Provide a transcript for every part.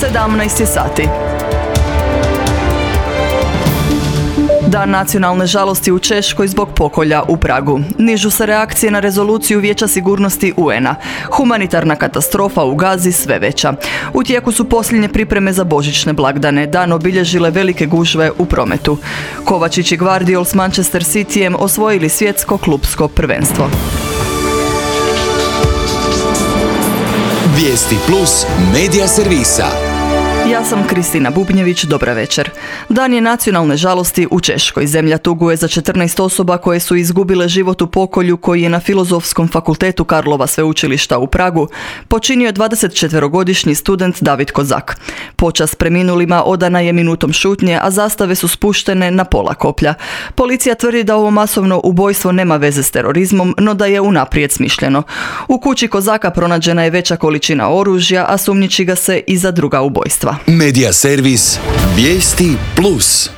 17 je sati. Dan nacionalne žalosti u Češkoj zbog pokolja u Pragu. Nižu se reakcije na rezoluciju Vijeća sigurnosti UN-a. Humanitarna katastrofa u Gazi sve veća. U tijeku su posljednje pripreme za božićne blagdane. Dan obilježile velike gužve u prometu. Kovačić i Gvardiol s Manchester Cityjem osvojili svjetsko klupsko prvenstvo. Vijesti plus medija servisa. Ja sam Kristina Bubnjević, dobra večer. Dan je nacionalne žalosti u Češkoj. Zemlja tuguje za 14 osoba koje su izgubile život u pokolju koji je na Filozofskom fakultetu Karlova sveučilišta u Pragu počinio 24-godišnji student David Kozak. Počast preminulima odana je minutom šutnje, a zastave su spuštene na pola koplja. Policija tvrdi da ovo masovno ubojstvo nema veze s terorizmom, no da je unaprijed smišljeno. U kući Kozaka pronađena je veća količina oružja, a sumnjiči ga se i za druga ubojstva. Medija servis Vijesti plus.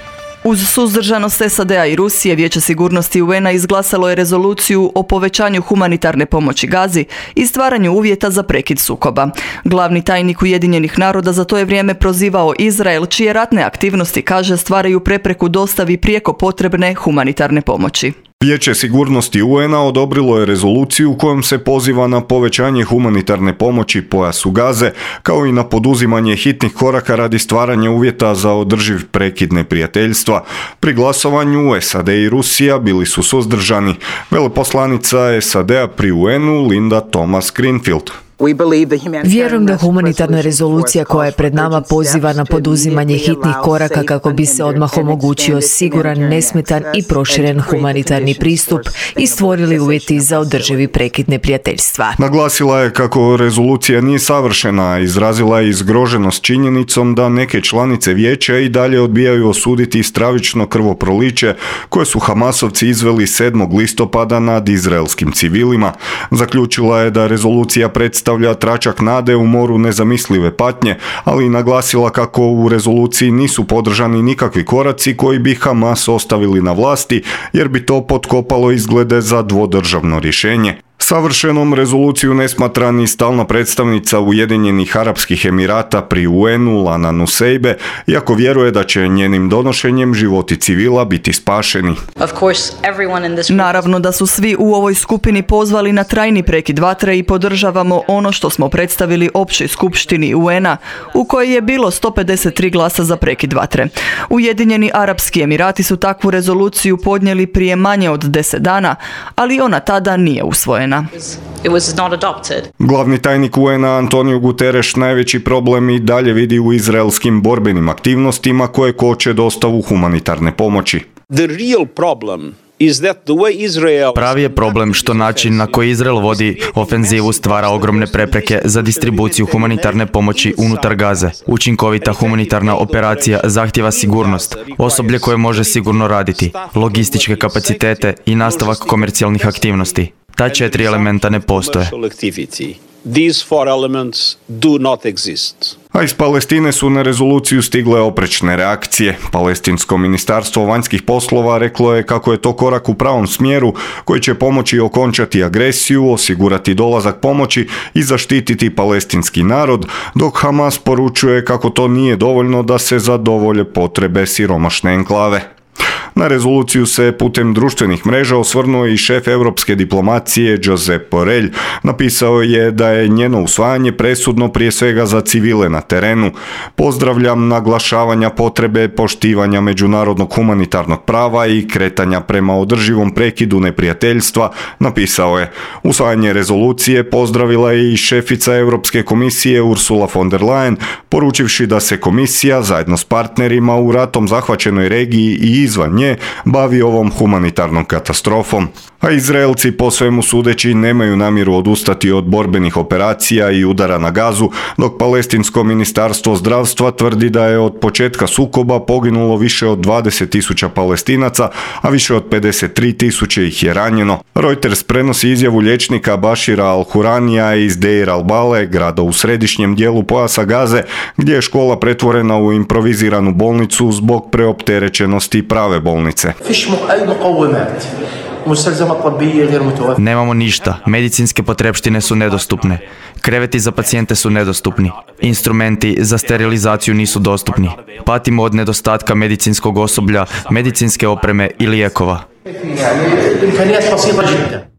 Uz suzdržanost SAD-a i Rusije, Vijeće sigurnosti UN-a izglasalo je rezoluciju o povećanju humanitarne pomoći Gazi i stvaranju uvjeta za prekid sukoba. Glavni tajnik Ujedinjenih naroda za to je vrijeme prozivao Izrael, čije ratne aktivnosti, kaže, stvaraju prepreku dostavi prijeko potrebne humanitarne pomoći. Vijeće sigurnosti UN-a odobrilo je rezoluciju kojom se poziva na povećanje humanitarne pomoći pojasu Gaze, kao i na poduzimanje hitnih koraka radi stvaranja uvjeta za održiv prekid neprijateljstva. Pri glasovanju SAD i Rusija bili su suzdržani. Veleposlanica SAD-a pri UN-u Linda Thomas-Greenfield. Vjerujem da humanitarna rezolucija koja je pred nama poziva na poduzimanje hitnih koraka kako bi se odmah omogućio siguran, nesmetan i proširen humanitarni pristup i stvorili uvjeti za održivi prekid neprijateljstva. Naglasila je kako rezolucija nije savršena, izrazila je zgroženost činjenicom da neke članice vijeća i dalje odbijaju osuditi stravično krvoproliće koje su Hamasovci izveli 7. listopada nad izraelskim civilima. Zaključila je da rezolucija predstavlja tračak nade u moru nezamislive patnje, ali i naglasila kako u rezoluciji nisu podržani nikakvi koraci koji bi Hamas ostavili na vlasti, jer bi to potkopalo izglede za dvodržavno rješenje. Savršenom rezoluciju ne smatra ni stalna predstavnica Ujedinjenih Arapskih Emirata pri UN-u Lana Nuseibe, iako vjeruje da će njenim donošenjem životi civila biti spašeni. Naravno da su svi u ovoj skupini pozvali na trajni prekid vatre i podržavamo ono što smo predstavili općoj skupštini UN-a, u kojoj je bilo 153 glasa za prekid vatre. Ujedinjeni Arapski Emirati su takvu rezoluciju podnijeli prije manje od 10 dana, ali ona tada nije usvojena. Glavni tajnik UN-a Antonio Guterres najveći problem i dalje vidi u izraelskim borbenim aktivnostima koje koče dostavu humanitarne pomoći. Pravi je problem što način na koji Izrael vodi ofenzivu stvara ogromne prepreke za distribuciju humanitarne pomoći unutar Gaze. Učinkovita humanitarna operacija zahtijeva sigurnost, osoblje koje može sigurno raditi, logističke kapacitete i nastavak komercijalnih aktivnosti. Ta 4 elementa ne postoje. A iz Palestine su na rezoluciju stigle oprečne reakcije. Palestinsko ministarstvo vanjskih poslova reklo je kako je to korak u pravom smjeru koji će pomoći okončati agresiju, osigurati dolazak pomoći i zaštititi palestinski narod, dok Hamas poručuje kako to nije dovoljno da se zadovolje potrebe siromašne enklave. Na rezoluciju se putem društvenih mreža osvrnuo i šef europske diplomacije Josep Borrell. Napisao je da je njeno usvajanje presudno prije svega za civile na terenu. Pozdravljam naglašavanja potrebe poštivanja međunarodnog humanitarnog prava i kretanja prema održivom prekidu neprijateljstva, napisao je. Usvajanje rezolucije pozdravila je i šefica Europske komisije Ursula von der Leyen, poručivši da se komisija zajedno s partnerima u ratom zahvaćenoj regiji i izvan nje bavi ovom humanitarnom katastrofom. A Izraelci po svemu sudeći nemaju namjeru odustati od borbenih operacija i udara na Gazu, dok Palestinsko ministarstvo zdravstva tvrdi da je od početka sukoba poginulo više od 20.000 Palestinaca, a više od 53.000 ih je ranjeno. Reuters prenosi izjavu liječnika Bashira al-Huranija iz Deir al-Bale, grada u središnjem dijelu pojasa Gaze, gdje je škola pretvorena u improviziranu bolnicu zbog preopterećenosti prave bolnice. Nemamo ništa, medicinske potrepštine su nedostupne, kreveti za pacijente su nedostupni, instrumenti za sterilizaciju nisu dostupni, patimo od nedostatka medicinskog osoblja, medicinske opreme i lijekova.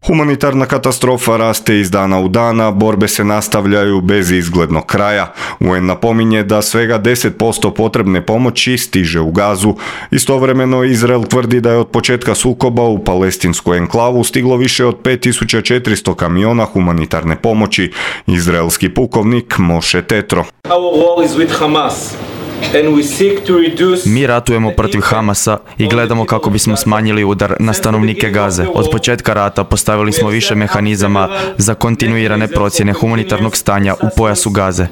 Humanitarna katastrofa raste iz dana u dana, borbe se nastavljaju bez izglednog kraja. UN napominje da svega 10% potrebne pomoći stiže u Gazu. Istovremeno Izrael tvrdi da je od početka sukoba u palestinsku enklavu stiglo više od 5400 kamiona humanitarne pomoći. Izraelski pukovnik Moshe Tetro. Mi ratujemo protiv Hamasa i gledamo kako bismo smanjili udar na stanovnike Gaze. Od početka rata postavili smo više mehanizama za kontinuirane procjene humanitarnog stanja u pojasu Gaze.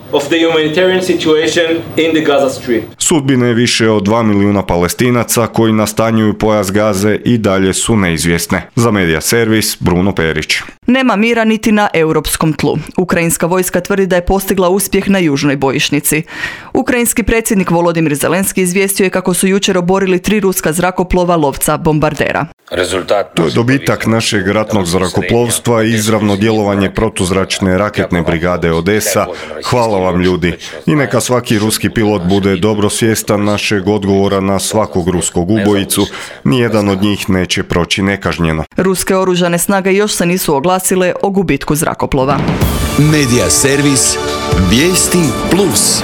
Sudbine više od 2 milijuna Palestinaca koji nastanjuju pojas Gaze i dalje su neizvjesne. Za Medija servis Bruno Perić. Nema mira niti na europskom tlu. Ukrajinska vojska tvrdi da je postigla uspjeh na južnoj bojišnici. Ukrajinski predsjednik Volodimir Zelenski izvijestio je kako su jučer oborili 3 ruska zrakoplova lovca bombardera. To je dobitak našeg ratnog zrakoplovstva i izravno djelovanje protuzračne raketne brigade Odesa. Hvala vam ljudi. I neka svaki ruski pilot bude dobro svjestan našeg odgovora na svakog ruskog ubojicu. Nijedan od njih neće proći nekažnjeno. Ruske oružane snage još se nisu oglasile o gubitku zrakoplova. Medija servis Vijesti Plus.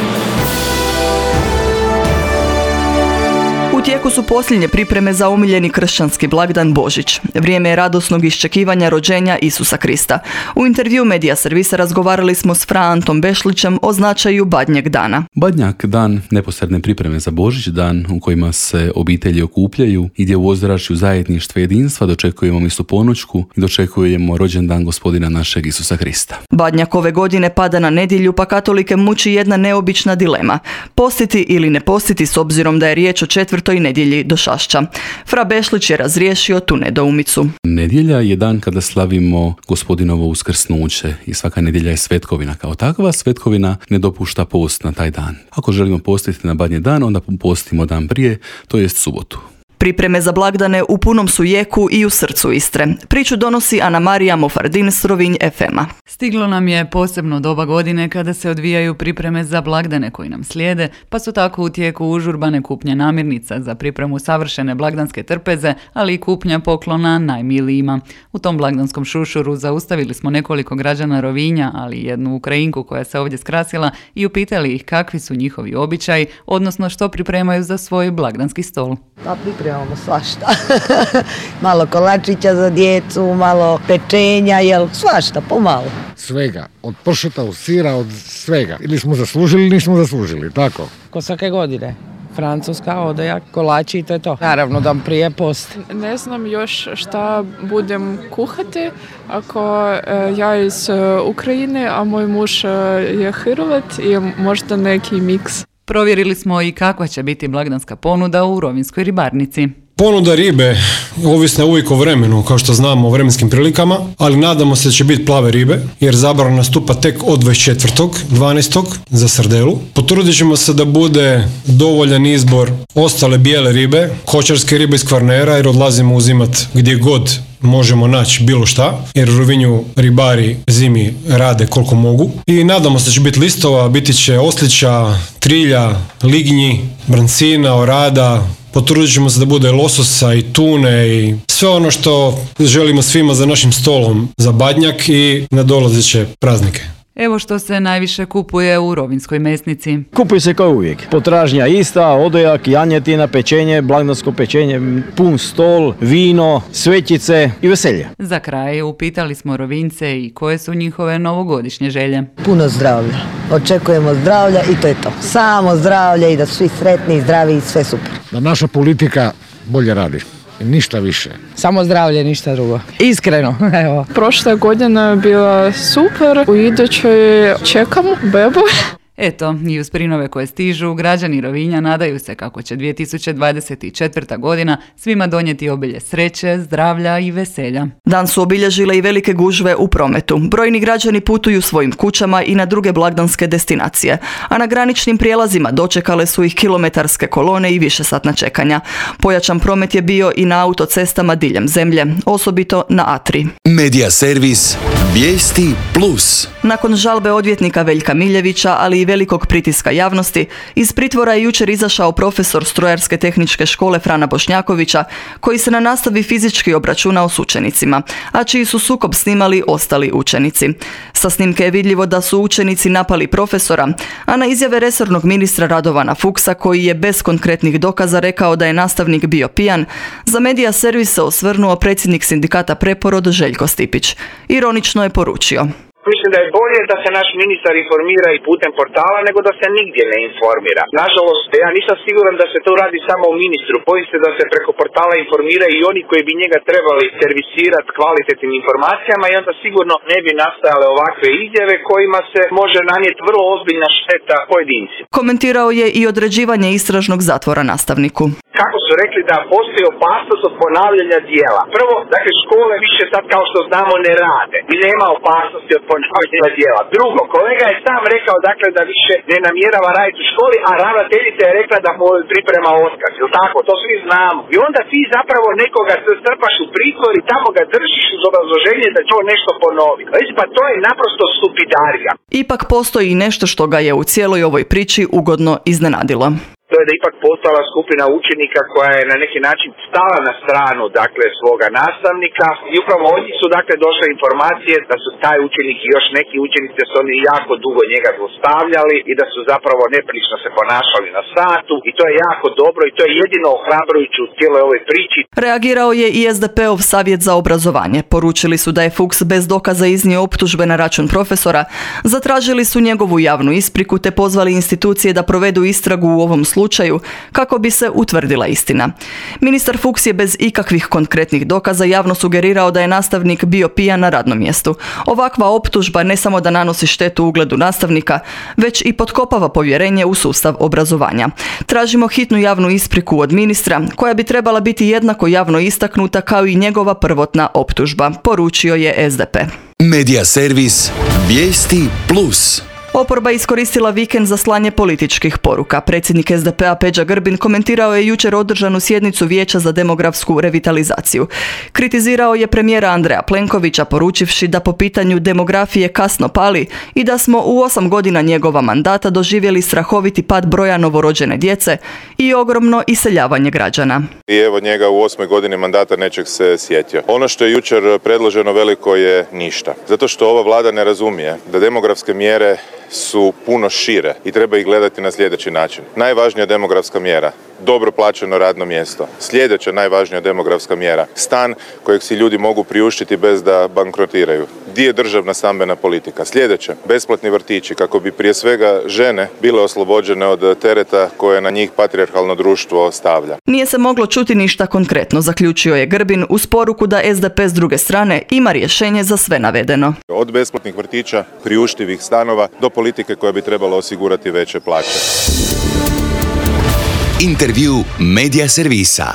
U tijeku su posljednje pripreme za omiljeni kršćanski blagdan Božić. Vrijeme je radosnog iščekivanja rođenja Isusa Krista. U intervju Medija servisa razgovarali smo s Fra Antom Bešlićem o značaju Badnjeg dana. Badnjak, dan neposredne pripreme za Božić, dan u kojima se obitelji okupljaju i gdje u ozračju zajedništva i jedinstva dočekujemo misu ponoćku i dočekujemo rođendan Gospodina našeg Isusa Krista. Badnjak ove godine pada na nedjelju, pa katolike muči jedna neobična dilema. Postiti ili ne postiti s obzirom da je riječ o 4. nedjelji Došašća. Fra Bešlić je razriješio tu nedoumicu. Nedjelja je dan kada slavimo Gospodinovo uskrsnuće i svaka nedjelja je svetkovina. Kao takva svetkovina ne dopušta post na taj dan. Ako želimo postiti na Badnji dan, onda postimo dan prije, to jest subotu. Pripreme za blagdane u punom su jeku i u srcu Istre. Priču donosi Ana Marija Mofardin s Rovinj FM-a. Stiglo nam je posebno doba godine kada se odvijaju pripreme za blagdane koji nam slijede, pa su tako u tijeku užurbane kupnje namirnica za pripremu savršene blagdanske trpeze, ali i kupnja poklona najmilijima. U tom blagdanskom šušuru zaustavili smo nekoliko građana Rovinja, ali i jednu Ukrajinku koja se ovdje skrasila i upitali ih kakvi su njihovi običaji, odnosno što pripremaju za svoj blagdanski stol. Pa pripremamo svašta. Malo kolačića za djecu, malo pečenja, svašta, pomalo. Svega, od pršuta, od sira, od svega. Ili smo zaslužili, ili nismo zaslužili, tako? Ko svake godine. Francuska, odojak, kolači i to je to. Naravno da prije post. Ne znam još šta budem kuhati. Ako ja iz Ukrajine, a moj muž je Hrvat i možda neki miks. Provjerili smo i kakva će biti blagdanska ponuda u rovinjskoj ribarnici. Ponuda ribe ovisna uvijek o vremenu, kao što znamo, o vremenskim prilikama, ali nadamo se da će biti plave ribe, jer zabrana nastupa tek od 24.12. za srdelu. Potrudit ćemo se da bude dovoljan izbor ostale bijele ribe, kočarske ribe iz Kvarnera, jer odlazimo uzimat gdje god možemo naći bilo šta, jer u Rovinju ribari zimi rade koliko mogu. I nadamo se da će biti listova, biti će oslića, trilja, lignji, brancina, orada. Potrudit ćemo se da bude lososa i tune i sve ono što želimo svima za našim stolom za Badnjak i nadolazeće praznike. Evo što se najviše kupuje u rovinjskoj mesnici. Kupuje se kao uvijek. Potražnja ista, odojak, janjetina, pečenje, blagdansko pečenje, pun stol, vino, svećice i veselje. Za kraj upitali smo Rovinjce i koje su njihove novogodišnje želje. Puno zdravlja. Očekujemo zdravlja i to je to. Samo zdravlje i da su svi sretni, zdravi i sve super. Da naša politika bolje radi. Ništa više. Samo zdravlje, ništa drugo. Iskreno, evo. Prošla godina je bila super, u idućoj čekamo bebu. Eto, i uz prinove koje stižu, građani Rovinja nadaju se kako će 2024. godina svima donijeti obilje sreće, zdravlja i veselja. Dan su obilježile i velike gužve u prometu. Brojni građani putuju svojim kućama i na druge blagdanske destinacije, a na graničnim prijelazima dočekale su ih kilometarske kolone i višesatna čekanja. Pojačan promet je bio i na autocestama diljem zemlje, osobito na A3. Medija servis Vijesti Plus. Nakon žalbe odvjetnika Veljka Miljevića, ali i velikog pritiska javnosti, iz pritvora je jučer izašao profesor Strojarske tehničke škole Frana Bošnjakovića, koji se na nastavi fizički obračunao s učenicima, a čiji su sukob snimali ostali učenici. Sa snimke je vidljivo da su učenici napali profesora, a na izjave resornog ministra Radovana Fuchsa, koji je bez konkretnih dokaza rekao da je nastavnik bio pijan, za Medija servis se osvrnuo predsjednik sindikata Preporod Željko Stipić. Ironično je poručio: Mislim da je bolje da se naš ministar informira i putem portala nego da se nigdje ne informira. Nažalost, ja nisam siguran da se to radi samo u ministru. Bojim se da se preko portala informiraju i oni koji bi njega trebali servisirati kvalitetnim informacijama i onda sigurno ne bi nastajale ovakve izjave kojima se može nanijeti vrlo ozbiljna šteta pojedinci. Komentirao je i određivanje istražnog zatvora nastavniku. Kako su rekli da postoji opasnost od ponavljanja dijela. Prvo, dakle, škole više sad kao što znamo ne rade i nema opasnosti od ponavljanja dijela. Drugo, kolega je sam rekao dakle da više ne namjerava raditi u školi, a ravnateljica je rekla da mu priprema otkaz. Jel tako? To svi znamo. I onda ti zapravo nekoga strpaš u pritvor i tamo ga držiš uz obrazloženje da će on nešto ponoviti. Pa to je naprosto stupidarija. Ipak postoji nešto što ga je u cijeloj ovoj priči ugodno iznenadilo. To je da ipak postala skupina učenika koja je na neki način stala na stranu dakle svoga nastavnika i upravo od njih su dakle došle informacije da su taj učenik i još neki učenici da su oni jako dugo njega zlostavljali i da su zapravo neprilično se ponašali na satu i to je jako dobro i to je jedino ohrabrujuće u cijeloj ovoj priči. Reagirao je i SDP-ov savjet za obrazovanje. Poručili su da je Fuchs bez dokaza iznio optužbe na račun profesora, zatražili su njegovu javnu ispriku te pozvali institucije da provedu istragu u ovom slučaju kako bi se utvrdila istina. Ministar Fuchs je bez ikakvih konkretnih dokaza javno sugerirao da je nastavnik bio pijan na radnom mjestu. Ovakva optužba ne samo da nanosi štetu ugledu nastavnika, već i potkopava povjerenje u sustav obrazovanja. Tražimo hitnu javnu ispriku od ministra, koja bi trebala biti jednako javno istaknuta kao i njegova prvotna optužba, poručio je SDP. Medija servis Vijesti Plus. Oporba iskoristila vikend za slanje političkih poruka. Predsjednik SDP-a Peđa Grbin komentirao je jučer održanu sjednicu Vijeća za demografsku revitalizaciju. Kritizirao je premijera Andreja Plenkovića poručivši da po pitanju demografije kasno pali i da smo u 8 godina njegova mandata doživjeli strahoviti pad broja novorođene djece i ogromno iseljavanje građana. I evo njega u 8 godini mandata nečeg se sjetio. Ono što je jučer predloženo veliko je ništa. Zato što ova vlada ne razumije da demografske mjere su puno šire i treba ih gledati na sljedeći način. Najvažnija demografska mjera, dobro plaćeno radno mjesto. Sljedeća najvažnija demografska mjera, stan kojeg si ljudi mogu priuštiti bez da bankrotiraju. Di je državna stambena politika? Sljedeća, besplatni vrtići kako bi prije svega žene bile oslobođene od tereta koje na njih patrijarhalno društvo stavlja. Nije se moglo čuti ništa konkretno, zaključio je Grbin uz poruku da SDP s druge strane ima rješenje za sve navedeno. Od besplatnih vrtića, priuštivih stanova do politike koja bi trebala osigurati veće plaće. Intervju Medija servisa.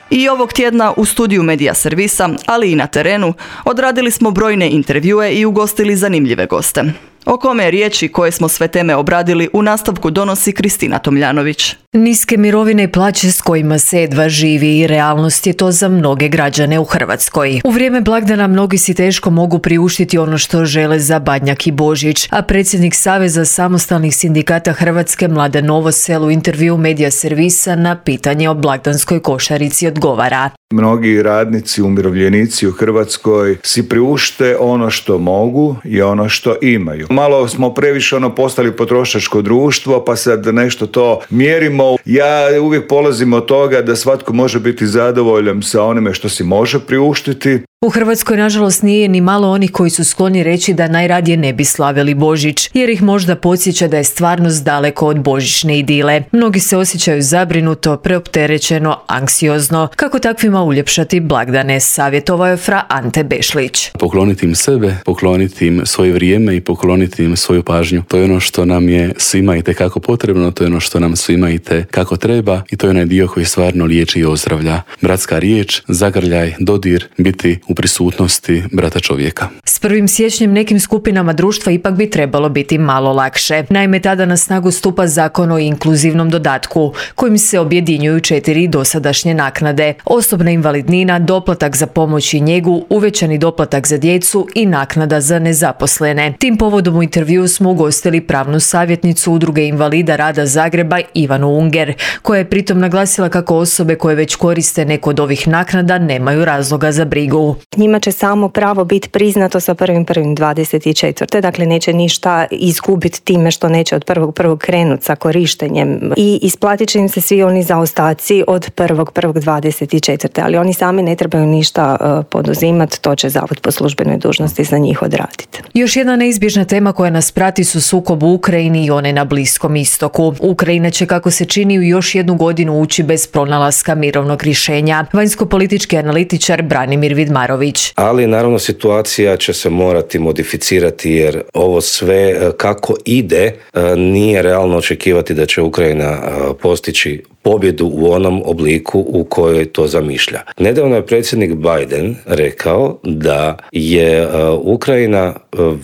I ovog tjedna u studiju Medija servisa, ali i na terenu, odradili smo brojne intervjue i ugostili zanimljive goste. O kome je riječ i koje smo sve teme obradili u nastavku donosi Kristina Tomljanović. Niske mirovine i plaće s kojima se jedva živi i realnost je to za mnoge građane u Hrvatskoj. U vrijeme blagdana mnogi si teško mogu priuštiti ono što žele za Badnjak i Božić, a predsjednik Saveza samostalnih sindikata Hrvatske Mladen Novosel u intervju Medija servisa na pitanje o blagdanskoj košarici odgovara. Mnogi radnici, umirovljenici u Hrvatskoj si priušte ono što mogu i ono što imaju. Malo smo previše postali potrošačko društvo, pa sad nešto to mjerimo želimo. Ja uvijek polazim od toga da svatko može biti zadovoljan sa onime što si može priuštiti. U Hrvatskoj, nažalost, nije ni malo onih koji su skloni reći da najradije ne bi slavili Božić, jer ih možda podsjeća da je stvarnost daleko od božićne idile. Mnogi se osjećaju zabrinuto, preopterećeno, anksiozno. Kako takvima uljepšati blagdane, savjetovao je fra Ante Bešlić. Pokloniti im sebe, pokloniti im svoje vrijeme i pokloniti im svoju pažnju. To je ono što nam je svima itekako potrebno, to je ono što nam svima itekako treba i to je onaj dio koji stvarno liječi i ozdravlja. Bratska riječ, zagrljaj, dodir, biti u prisutnosti brata čovjeka. S 1. siječnjem nekim skupinama društva ipak bi trebalo biti malo lakše. Naime, tada na snagu stupa Zakon o inkluzivnom dodatku, kojim se objedinjuju 4 dosadašnje naknade: osobna invalidnina, doplatak za pomoć i njegu, uvećani doplatak za djecu i naknada za nezaposlene. Tim povodom u intervjuu smo ugostili pravnu savjetnicu Udruge invalida rada Zagreba Ivanu Unger, koja je pritom naglasila kako osobe koje već koriste neku od ovih naknada nemaju razloga za brigu. Njima će samo pravo biti priznato sa 1.1.24. Dakle, neće ništa izgubiti time što neće od 1.1. krenuti sa korištenjem i isplatit će im se svi oni zaostaci od 1.1.24. Ali oni sami ne trebaju ništa poduzimati, to će Zavod po službenoj dužnosti za njih odraditi. Još jedna neizbježna tema koja nas prati su sukob u Ukrajini i one na Bliskom istoku. Ukrajina će, kako se čini, u još jednu godinu ući bez pronalaska mirovnog rješenja. Vanjsko-politički analitičar Branimir Vidmarović. Ali naravno situacija će se morati modificirati jer ovo sve kako ide nije realno očekivati da će Ukrajina postići pobjedu u onom obliku u kojoj to zamišlja. Nedavno je predsjednik Biden rekao da je Ukrajina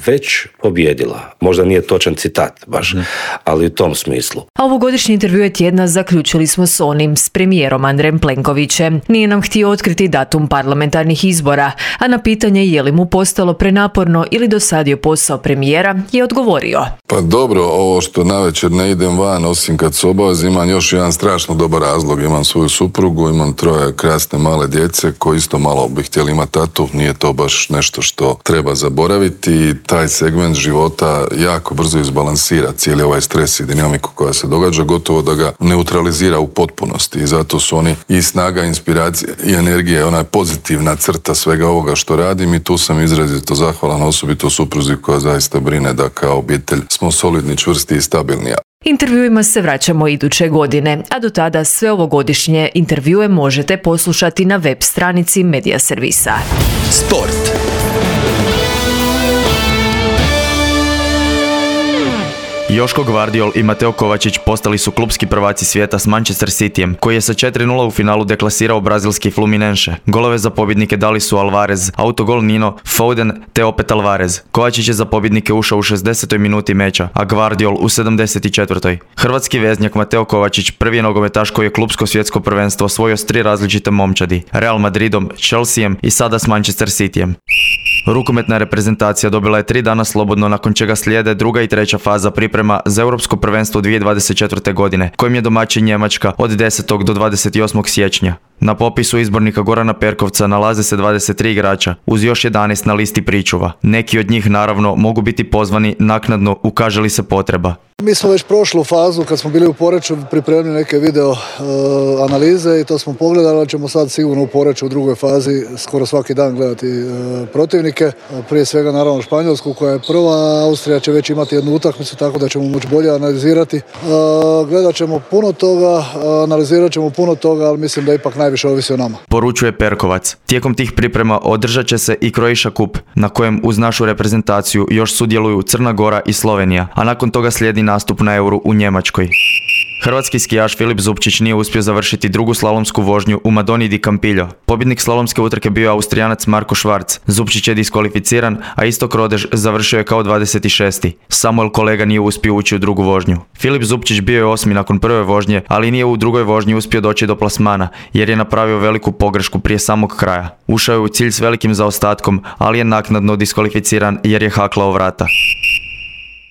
već pobjedila. Možda nije točan citat baš, ali u tom smislu. A ovogodišnji intervju tjedna zaključili smo s onim s premijerom Andrejem Plenkovićem. Nije nam htio otkriti datum parlamentarnih izbora, a na pitanje je li mu postalo prenaporno ili dosadio posao premijera je odgovorio. Pa dobro, ovo što navečer ne idem van, osim kad su obaveze, imam još jedan strašno dobar razlog. Imam svoju suprugu, imam 3 krasne male djece koji isto malo bi htjeli imati tatu. Nije to baš nešto što treba zaboraviti. Taj segment života jako brzo izbalansira cijeli ovaj stres i dinamiku koja se događa, gotovo da ga neutralizira u potpunosti. I zato su oni i snaga, inspiracija i energija, ona je pozitivna crta svega ovoga što radim i tu sam izrazito zahvalan, osobito supruzi koja zaista brine da kao obitelj smo solidni, čvrsti i stabilni. Intervjuima se vraćamo iduće godine, a do tada sve ovogodišnje intervjue možete poslušati na web stranici Medija Servisa. Sport. Joško Gvardiol i Mateo Kovačić postali su klupski prvaci svijeta s Manchester Cityjem, koji je sa 4:0 u finalu deklasirao brazilski Fluminense. Golove za pobjednike dali su Alvarez, autogol Nino, Foden te opet Alvarez. Kovačić je za pobjednike ušao u 60. minuti meča, a Gvardiol u 74. Hrvatski veznjak Mateo Kovačić prvi je nogometaš koji je klupsko svjetsko prvenstvo osvojio s 3 različite momčadi: Real Madridom, Chelseaem i sada s Manchester Cityjem. Rukometna reprezentacija dobila je 3 dana slobodno, nakon čega slijede 2. i 3. faza priprema za Europsko prvenstvo 2024. godine, kojim je domaćin Njemačka od 10. do 28. siječnja. Na popisu izbornika Gorana Perkovca nalaze se 23 igrača, uz još 11 na listi pričuva. Neki od njih naravno mogu biti pozvani naknadno ukaže li se potreba. Mi smo već prošlu fazu kad smo bili u Poreču pripremili neke video analize i to smo pogledali, ali ćemo sad sigurno u Poreču u drugoj fazi skoro svaki dan gledati protivnike. Prije svega naravno Španjolsku koja je prva, Austrija će već imati jednu utakmicu tako da ćemo moći bolje analizirati. Gledat ćemo puno toga, analizirat ćemo puno toga, ali mislim da ipak najviše ovisi o nama. Poručuje Perkovac. Tijekom tih priprema održat će se i Croatia Cup, na kojem uz našu reprezentaciju još sudjeluju Crna Gora i Slovenija, a nakon toga slijedi nastup na Euru u Njemačkoj. Hrvatski skijaš Filip Zupčić nije uspio završiti drugu slalomsku vožnju u Madoni di Campillo. Pobjednik slalomske utrke bio je Austrijanac Marko Švarc. Zupčić je diskvalificiran, a Istok Rodež završio je kao 26. Samuel Kolega nije uspio ući u drugu vožnju. Filip Zupčić bio je 8. nakon prve vožnje, ali nije u drugoj vožnji uspio doći do plasmana, jer je napravio veliku pogrešku prije samog kraja. Ušao je u cilj s velikim zaostatkom, ali je naknadno diskvalificiran jer je haklao vrata.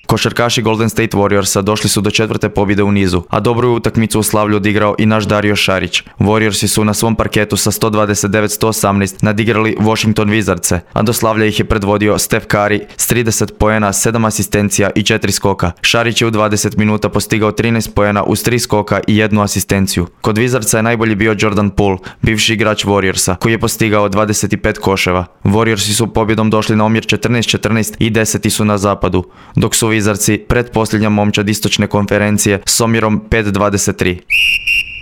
Košarkaši Golden State Warriorsa došli su do 4. pobjede u nizu, a dobru utakmicu u Slavlju odigrao i naš Dario Šarić. Warriorsi su na svom parketu sa 129-118 nadigrali Washington Wizardse, a do Slavlja ih je predvodio Steph Curry s 30 poena, 7 asistencija i 4 skoka. Šarić je u 20 minuta postigao 13 poena uz 3 skoka i 1 asistenciju. Kod Wizardsa je najbolji bio Jordan Poole, bivši igrač Warriorsa, koji je postigao 25 koševa. Warriorsi su pobjedom došli na omjer 14-14 i 10. su na zapadu, dok su Wizardsi pretposljednja momčad istočne konferencije s omjerom 5-23.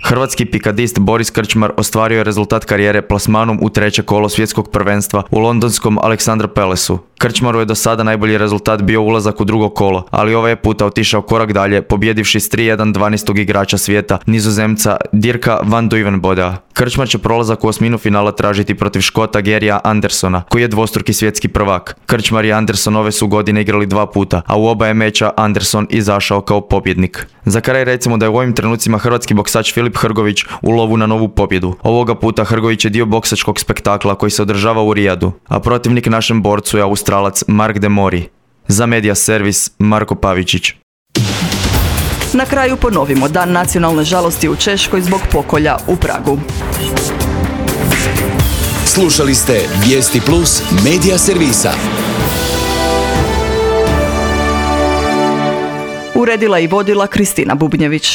Hrvatski pikadist Boris Krčmar ostvario je rezultat karijere plasmanom u 3. kolo svjetskog prvenstva u londonskom Aleksandra Palace-u. Krčmaru je do sada najbolji rezultat bio ulazak u 2. kolo, ali ovaj je puta otišao korak dalje, pobjedivši s 3-1 12. igrača svijeta, Nizozemca Dirka van Duijvenboda. Krčmar će prolazak u osminu finala tražiti protiv Škota Garyja Andersona, koji je dvostruki svjetski prvak. Krčmar i Anderson ove su godine igrali 2 puta, a u oba je meča Anderson izašao kao pobjednik. Za kraj recimo da je u ovim trenucima hrvatski boksač Filip Hrgović u lovu na novu pobjedu. Ovoga puta Hrgović je dio boksačkog spektakla koji se održava u Rijadu, a protivnik našem borcu je Australac Mark de Mori. Za Media Servis, Marko Pavičić. Na kraju ponovimo Dan nacionalne žalosti u Češkoj zbog pokolja u Pragu. Slušali ste Vijesti Plus Media Servisa. Uredila i vodila Kristina Bubnjević.